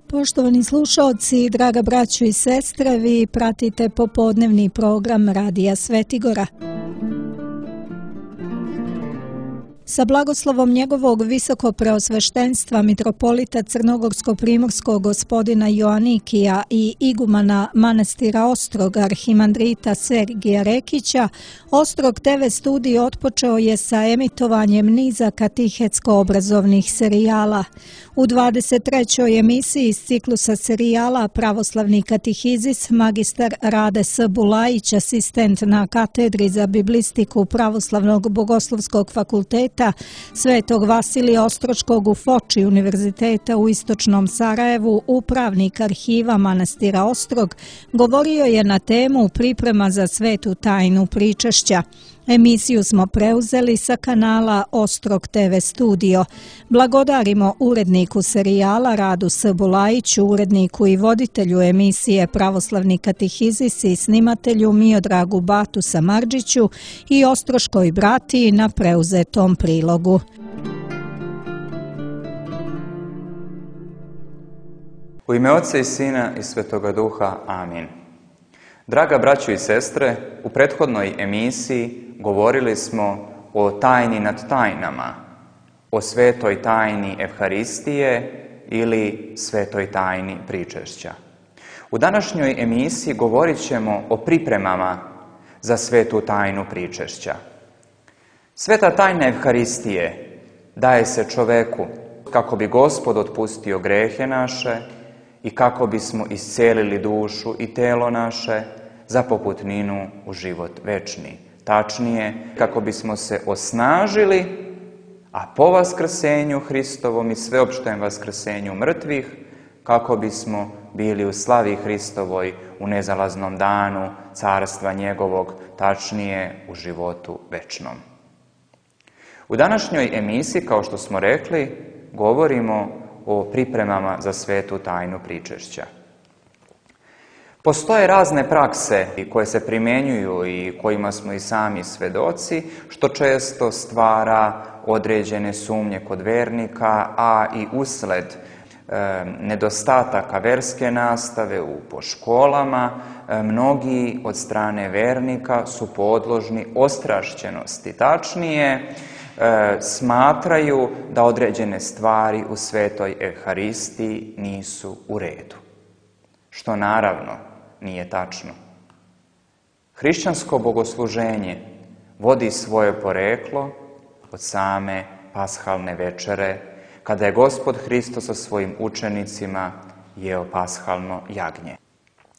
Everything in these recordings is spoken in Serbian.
Poštovani slušaoci, draga braćo i sestre, vi pratite popodnevni program Radija Svetigora. Sa blagoslovom njegovog visokopreosveštenstva mitropolita Crnogorsko-primorskog gospodina Joanikija i igumana manastira Ostrog arhimandrita Sergija Rekića, Ostrog TV studij otpočeo je sa emitovanjem niza katehetsko-obrazovnih serijala. U 23. emisiji iz ciklusa serijala Pravoslavni katehizis magistar Rade S. Bulajić, asistent na katedri za biblistiku Pravoslavnog bogoslovskog fakulteta Svetog Vasilija Ostroškog u Foči Univerziteta u Istočnom Sarajevu, upravnik arhiva manastira Ostrog, govorio je na temu priprema za svetu tajnu pričešća. Emisiju smo preuzeli sa kanala Ostrog TV studio. Blagodarimo uredniku serijala Radu S. Bulajiću, uredniku i voditelju emisije Pravoslavni katehizis i snimatelju Miodragu Batu Samardžiću i Ostroškoj bratiji na preuzetom prilogu. U ime Oca i Sina i Svetoga Duha. Amin. Draga braćo i sestre, u prethodnoj emisiji govorili smo o tajni nad tajnama, o svetoj tajni Evharistije ili svetoj tajni pričešća. U današnjoj emisiji govorit ćemo o pripremama za svetu tajnu pričešća. Sveta tajna Evharistije daje se čoveku kako bi Gospod otpustio grehe naše i kako bismo iscelili dušu i telo naše za poputninu u život večni. Tačnije, kako bismo se osnažili, a po vaskrsenju Hristovom i sveopštem vaskrsenju mrtvih, kako bismo bili u slavi Hristovoj u nezalaznom danu carstva njegovog, tačnije u životu večnom. U današnjoj emisiji, kao što smo rekli, govorimo o pripremama za svetu tajnu pričešća. Postoje razne prakse koje se primjenjuju i kojima smo i sami svedoci, što često stvara određene sumnje kod vernika, a i usled nedostataka verske nastave po školama, mnogi od strane vernika su podložni ostrašćenosti. Tačnije, smatraju da određene stvari u svetoj Evharistiji nisu u redu. Što naravno nije tačno. Hrišćansko bogosluženje vodi svoje poreklo od same pashalne večere, kada je Gospod Hristos sa svojim učenicima jeo pashalno jagnje.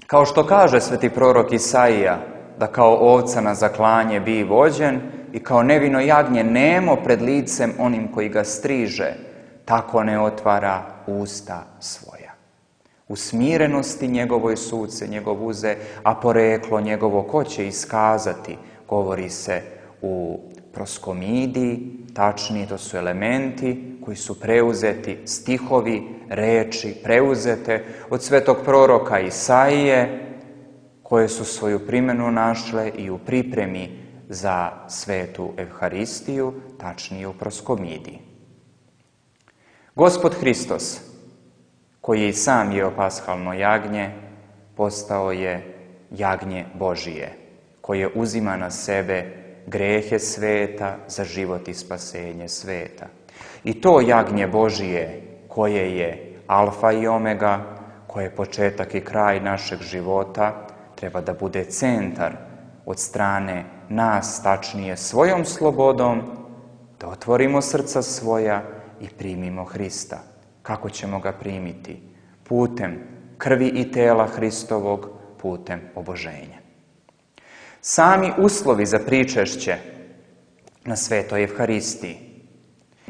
Kao što kaže sveti prorok Isaija, da kao ovca na zaklanje bi vođen i kao nevino jagnje nemo pred licem onim koji ga striže, tako ne otvara usta svoja. U smirenosti njegovoj suce, njegov uze, a poreklo njegovo ko će iskazati, govori se u proskomidiji, tačnije to su elementi koji su preuzeti, stihovi, reči preuzete od svetog proroka Isaije, koje su svoju primjenu našle i u pripremi za svetu Evharistiju, tačnije u proskomidiji. Gospod Hristos, koji je i sam jeo pashalno jagnje, postao je jagnje Božije, koje uzima na sebe grehe sveta za život i spasenje sveta. I to jagnje Božije, koje je alfa i omega, koje je početak i kraj našeg života, treba da bude centar od strane nas, tačnije svojom slobodom, da otvorimo srca svoja i primimo Hrista. Kako ćemo ga primiti? Putem krvi i tela Hristovog, putem oboženja. Sami uslovi za pričešće na svetoj Evharistiji.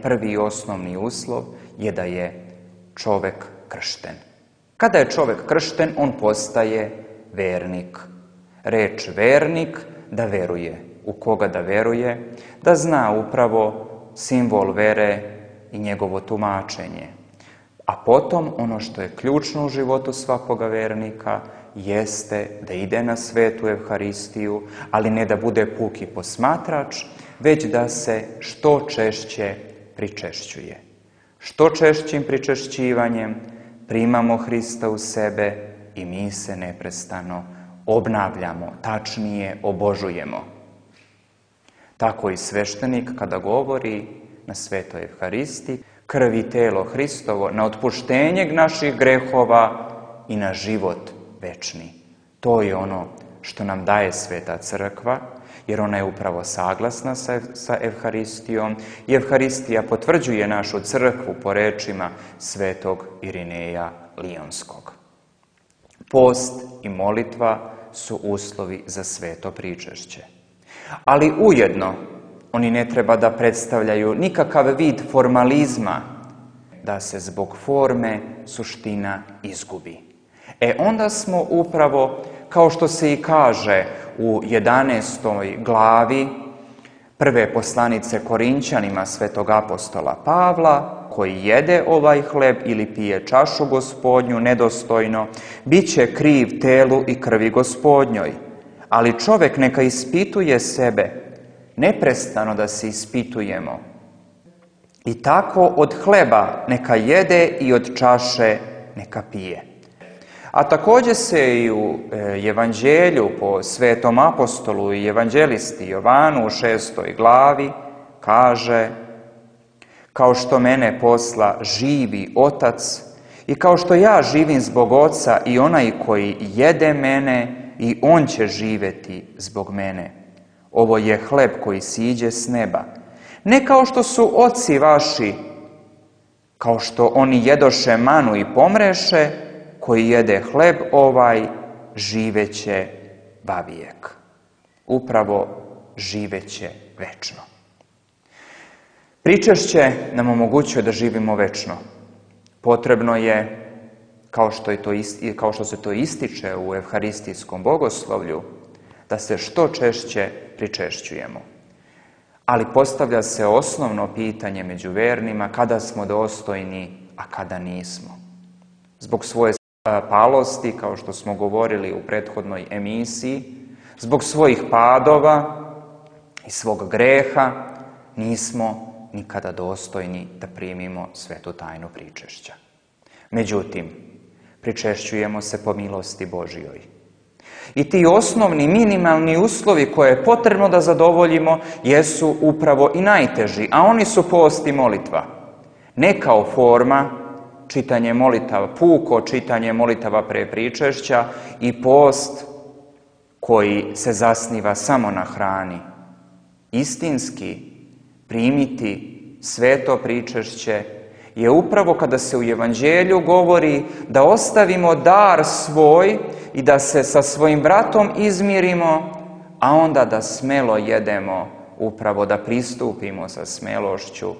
Prvi i osnovni uslov je da je čovek kršten. Kada je čovek kršten, on postaje vernik. Reč vernik da veruje. U koga da veruje? Da zna upravo simbol vere i njegovo tumačenje. A potom, ono što je ključno u životu svakoga vernika, jeste da ide na svetu Evharistiju, ali ne da bude puki posmatrač, već da se što češće pričešćuje. Što češćim pričešćivanjem primamo Hrista u sebe i mi se neprestano obnavljamo, tačnije obožujemo. Tako i sveštenik kada govori na Svetoj Evharisti, krv i telo Hristovo na otpuštenje naših grehova i na život večni. To je ono što nam daje Sveta Crkva, jer ona je upravo saglasna sa Evharistijom i Evharistija potvrđuje našu crkvu po rečima svetog Irineja Lionskog. Post i molitva su uslovi za sveto pričešće. Ali ujedno oni ne treba da predstavljaju nikakav vid formalizma, da se zbog forme suština izgubi. Onda smo upravo, kao što se i kaže u 11. glavi prve poslanice Korinćanima svetog apostola Pavla, koji jede ovaj hleb ili pije čašu Gospodnju nedostojno, bit će kriv telu i krvi Gospodnjoj. Ali čovjek neka ispituje sebe, neprestano da se ispitujemo. I tako od hleba neka jede i od čaše neka pije. A također se i u Evanđelju po svetom apostolu i evanđelisti Jovanu u 6. glavi kaže: kao što mene posla živi Otac i kao što ja živim zbog Oca i onaj koji jede mene i on će živjeti zbog mene. Ovo je hleb koji siđe s neba. Ne kao što su oci vaši, kao što oni jedoše manu i pomreše, koji jede hleb ovaj, živeće vavijek. Upravo živeće večno. Pričešće nam omogućuje da živimo večno. Potrebno je, kao što se to ističe u evharistijskom bogoslovlju, da se što češće pričešćujemo. Ali postavlja se osnovno pitanje među vernima: kada smo dostojni, a kada nismo. Zbog svoje palosti, kao što smo govorili u prethodnoj emisiji, zbog svojih padova i svog greha, nismo nikada dostojni da primimo svetu tajnu pričešća. Međutim, pričešćujemo se po milosti Božjoj. I ti osnovni, minimalni uslovi koje je potrebno da zadovoljimo jesu upravo i najteži, a oni su post i molitva. Ne kao forma, čitanje molitava, puko čitanje molitava pre pričešća i post koji se zasniva samo na hrani. Istinski primiti sveto pričešće je upravo kada se u Evanđelju govori da ostavimo dar svoj i da se sa svojim bratom izmirimo, a onda da smelo jedemo, upravo da pristupimo sa smelošću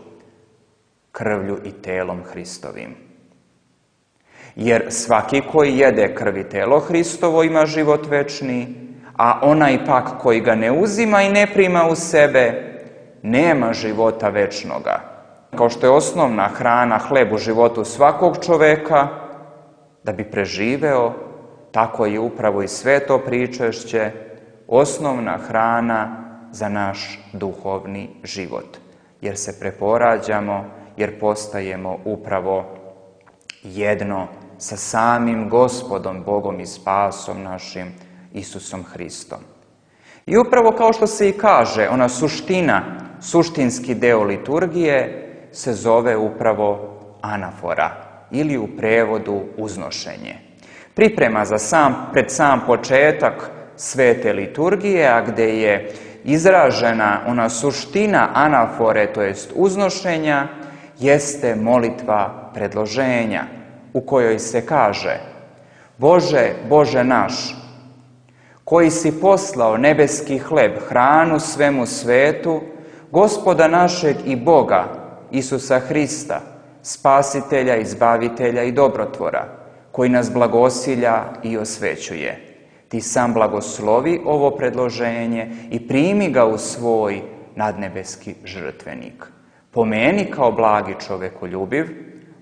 krvlju i telom Hristovim. Jer svaki koji jede krv i telo Hristovo ima život večni, a onaj pak koji ga ne uzima i ne prima u sebe, nema života večnoga. Kao što je osnovna hrana hleb u životu svakog čoveka, da bi preživeo, tako je upravo i sveto pričešće osnovna hrana za naš duhovni život. Jer se preporađamo, jer postajemo upravo jedno sa samim Gospodom, Bogom i spasom našim, Isusom Hristom. I upravo kao što se i kaže, ona suštinski deo liturgije se zove upravo anafora ili u prevodu uznošenje. Priprema pred sam početak svete liturgije, a gde je izražena ona suština anafore, to jest uznošenja, jeste molitva predloženja, u kojoj se kaže: Bože, Bože naš, koji si poslao nebeski hleb, hranu svemu svetu, Gospoda našeg i Boga, Isusa Hrista, Spasitelja, Izbavitelja i Dobrotvora, koji nas blagosilja i osvećuje. Ti sam blagoslovi ovo predloženje i primi ga u svoj nadnebeski žrtvenik. Pomeni kao blagi čovekoljubiv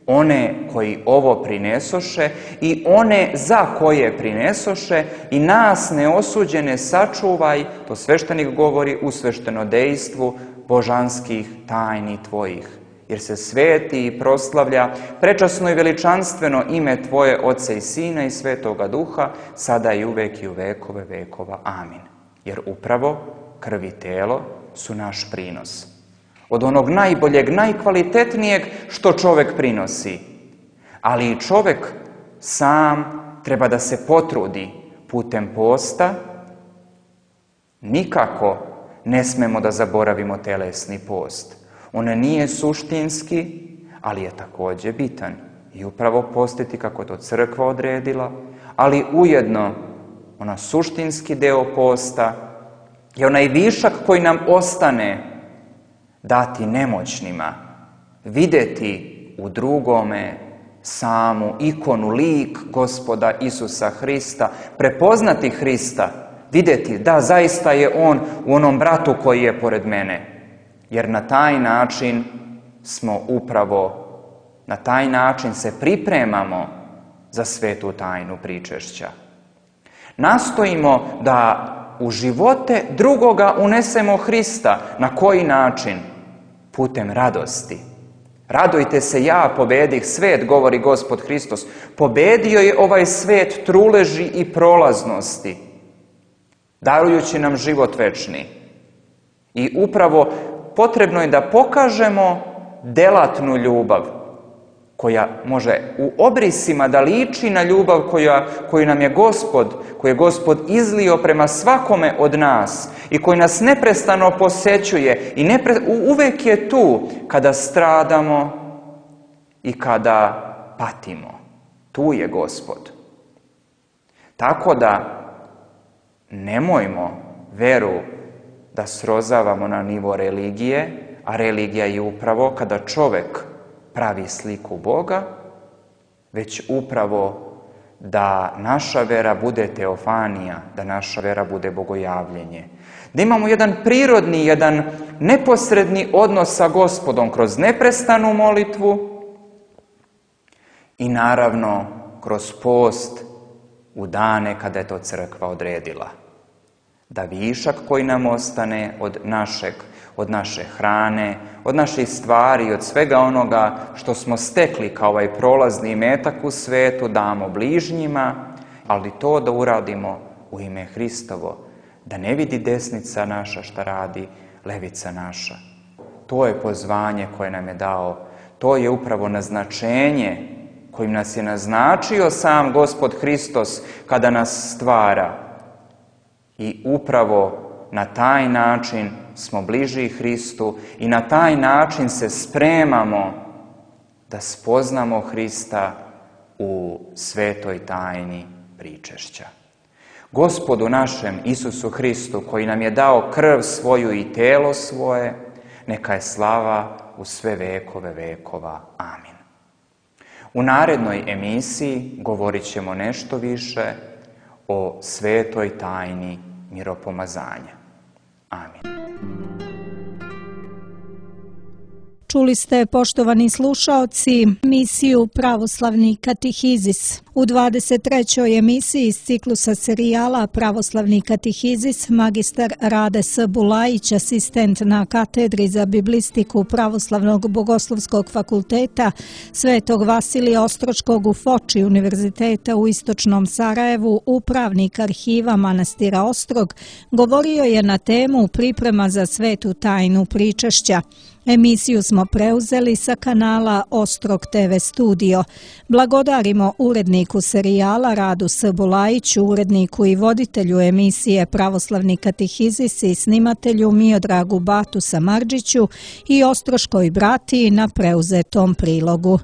one koji ovo prinesoše i one za koje prinesoše i nas neosuđene sačuvaj, to sveštenik govori, u sveštenodejstvu božanskih tajni tvojih, jer se sveti i proslavlja prečasno i veličanstveno ime Tvoje, Oca i Sina i Svetoga Duha, sada i uvek i u vekove vekova. Amin. Jer upravo krv i telo su naš prinos. Od onog najboljeg, najkvalitetnijeg što čovjek prinosi. Ali i čovjek sam treba da se potrudi putem posta. Nikako ne smemo da zaboravimo telesni post. On nije suštinski, ali je također bitan. I upravo postiti kako je to crkva odredila, ali ujedno ona suštinski deo posta je onaj višak koji nam ostane dati nemoćnima, vidjeti u drugome samu ikonu, lik Gospoda Isusa Hrista, prepoznati Hrista, vidjeti da zaista je On u onom bratu koji je pored mene. Jer na taj način na taj način se pripremamo za svetu tajnu pričešća. Nastojimo da u živote drugoga unesemo Hrista. Na koji način? Putem radosti. Radujte se, ja pobedih svet, govori Gospod Hristos. Pobedio je ovaj svet truleži i prolaznosti, darujući nam život večni. I upravo potrebno je da pokažemo delatnu ljubav, koja može u obrisima da liči na ljubav koju nam je Gospod izlio prema svakome od nas i koji nas neprestano posećuje i uvek je tu kada stradamo i kada patimo. Tu je Gospod. Tako da nemojmo veru da srozavamo na nivo religije, a religija je upravo kada čovjek pravi sliku Boga, već upravo da naša vera bude teofanija, da naša vera bude bogojavljenje. Da imamo jedan prirodni, jedan neposredni odnos sa Gospodom kroz neprestanu molitvu i naravno kroz post u dane kada je to crkva odredila. Da višak koji nam ostane od naše hrane, od naših stvari, od svega onoga što smo stekli kao ovaj prolazni imetak u svetu, damo bližnjima, ali to da uradimo u ime Hristovo, da ne vidi desnica naša šta radi levica naša. To je pozvanje koje nam je dao, to je upravo naznačenje kojim nas je naznačio sam Gospod Hristos kada nas stvara. I upravo na taj način smo bliži Hristu i na taj način se spremamo da spoznamo Hrista u svetoj tajni pričešća. Gospodu našem Isusu Hristu, koji nam je dao krv svoju i telo svoje, neka je slava u sve vekove vekova. Amin. U narednoj emisiji govorit ćemo nešto više o svetoj tajni miropomazanja. Amin. Čuli ste, poštovani slušaoci, emisiju Pravoslavni katehizis. U 23. emisiji iz ciklusa serijala Pravoslavni katehizis magistar Rade S. Bulajić, asistent na katedri za biblistiku Pravoslavnog bogoslovskog fakulteta Svetog Vasilija Ostroškog u Foči Univerziteta u Istočnom Sarajevu, upravnik arhiva manastira Ostrog, govorio je na temu priprema za svetu tajnu pričešća. Emisiju smo preuzeli sa kanala Ostrog TV Studio. Blagodarimo uredniku serijala Radu S. Bulajiću, uredniku i voditelju emisije Pravoslavni katehizis i snimatelju Miodragu Batu Samardžiću i Ostroškoj bratiji na preuzetom prilogu.